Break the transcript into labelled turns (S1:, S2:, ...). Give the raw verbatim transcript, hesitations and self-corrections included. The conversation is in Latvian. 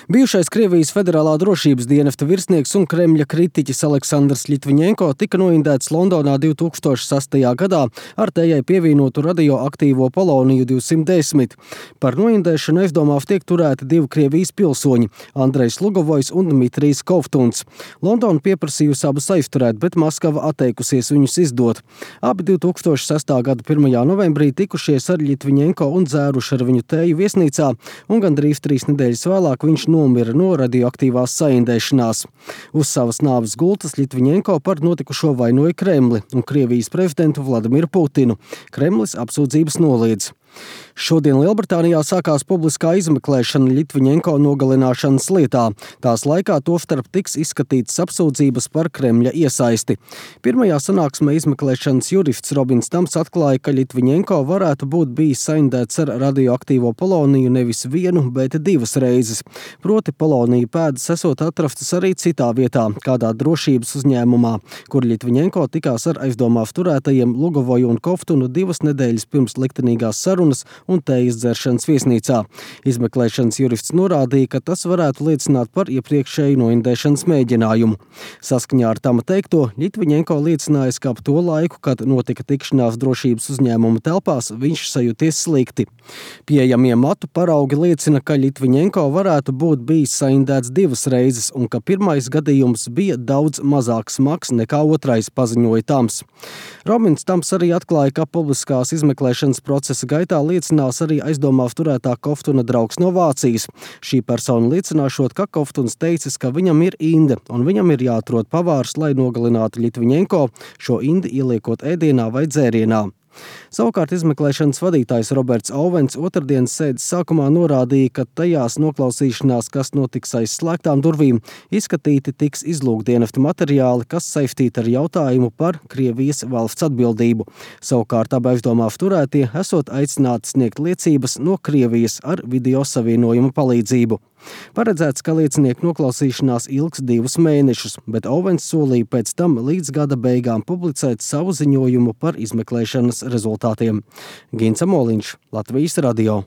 S1: Bijušais Krievijas federālā drošības dienesta virsnieks un Kremļa kritiķis Aleksandrs Ļitviņenko tika noindēts Londonā divi tūkstoši sastajā gadā ar tajai pievienotu radioaktīvo poloniju divsimt desmit. Par noindēšanu aizdomās tiek turēti divi Krievijas pilsoņi – Andrejs Lugovojs un Dmitrijs Kovtuns. Londona pieprasījusi abus aizturēt, bet Maskava atteikusies viņus izdot. Abi divi tūkstoši sastā gada pirmajā novembrī tikušies ar Ļitviņenko un dzēruši ar viņu tēju viesnīcā, un gandrīz trīs nedēļas vēlāk viņš nomira no radioaktīvās saindēšanās. Uz savas nāves gultas Ļitviņenko par notikušo vainoja Kremli un Krievijas prezidentu Vladimiru Putinu. Kremlis apsūdzības noliedz. Šodien Lielbritānijā sākās publiskā izmeklēšana Ļitviņenko nogalināšanas lietā. Tās laikā tostarp tiks izskatītas apsūdzības par Kremļa iesaisti. Pirmajā sanāksmē izmeklēšanas jurists Robins Tams atklāja, ka Ļitviņenko varētu būt bijis saindēts ar radioaktīvo poloniju nevis vienu, bet divas reizes. Proti polonija pēdas esot atrastas arī citā vietā, kādā drošības uzņēmumā, kur Ļitviņenko tikās ar aizdomās turētajiem Lugovoju un Kovtunu divas nedēļas pirms liktenīgās sarunas un tējas dzeršanas viesnīcā. Izmeklēšanas jurists norādīja, ka tas varētu liecināt par iepriekšēju noindēšanas mēģinājumu. Saskaņā ar Tama teikto, Ļitviņenko liecinājis, ka ap to laiku, kad notika tikšanās drošības uzņēmuma telpās, viņš sajūties slikti. Pieejamie matu paraugi liecina, ka Ļitviņenko varētu būt bijis saindēts divas reizes un ka pirmais gadījums bija daudz mazāk smags nekā otrais, paziņoja Tams. Robins Tams arī atklāja, ka publiskās izmeklēšanas procesa gaitā liecinās arī aizdomās turētā Kovtuna draugs no Vācijas. Šī persona liecināšot, ka Kovtuns teicis, ka viņam ir inde un viņam ir jāatrod pavārs, lai nogalinātu Ļitviņenko, šo indi ieliekot ēdienā vai dzērienā. Savukārt izmeklēšanas vadītājs Roberts Ovens otrdienas sēdes sākumā norādīja, ka tajās noklausīšanās, kas notiks aiz slēgtām durvīm, izskatīti tiks izlūkdienesta materiāli, kas saistīti ar jautājumu par Krievijas valsts atbildību. Savukārt abi aizdomās turētie esot aicināti sniegt liecības no Krievijas ar video savienojuma palīdzību. Paredzēts, ka liecinieku noklausīšanās ilgs divus mēnešus, bet Ovens solīja pēc tam līdz gada beigām publicēt savu ziņojumu par izmeklēšanas rezultātiem. Gins Amoliņš, Latvijas radio.